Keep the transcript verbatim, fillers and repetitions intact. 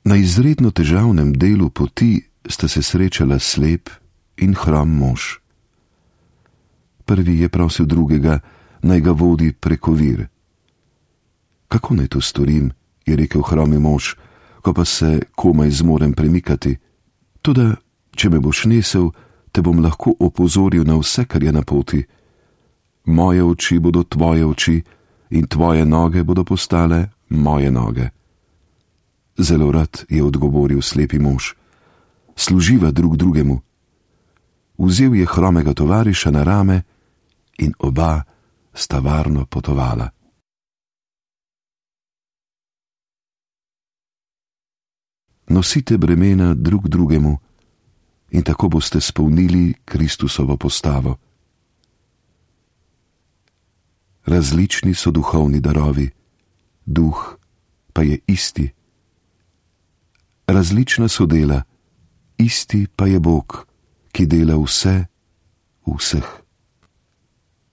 Na izredno težavnem delu poti sta se srečala slep in hrom mož. Prvi je prosil drugega, naj ga vodi preko vir. Kako naj to storim, je rekel hromi mož, ko pa se komaj zmorem premikati. Toda, če me boš nesel, te bom lahko opozoril na vse, kar je na poti. Moje oči bodo tvoje oči in tvoje noge bodo postale moje noge. Zelo rad je odgovoril slepi mož. Služiva drug drugemu. Vzel je hromega tovariša na rame in oba sta varno potovala. Nosite bremena drug drugemu in tako boste spolnili Kristusovo postavo. Različni so duhovni darovi, duh pa je isti. Različna so dela, isti pa je Bog, ki dela vse v vseh.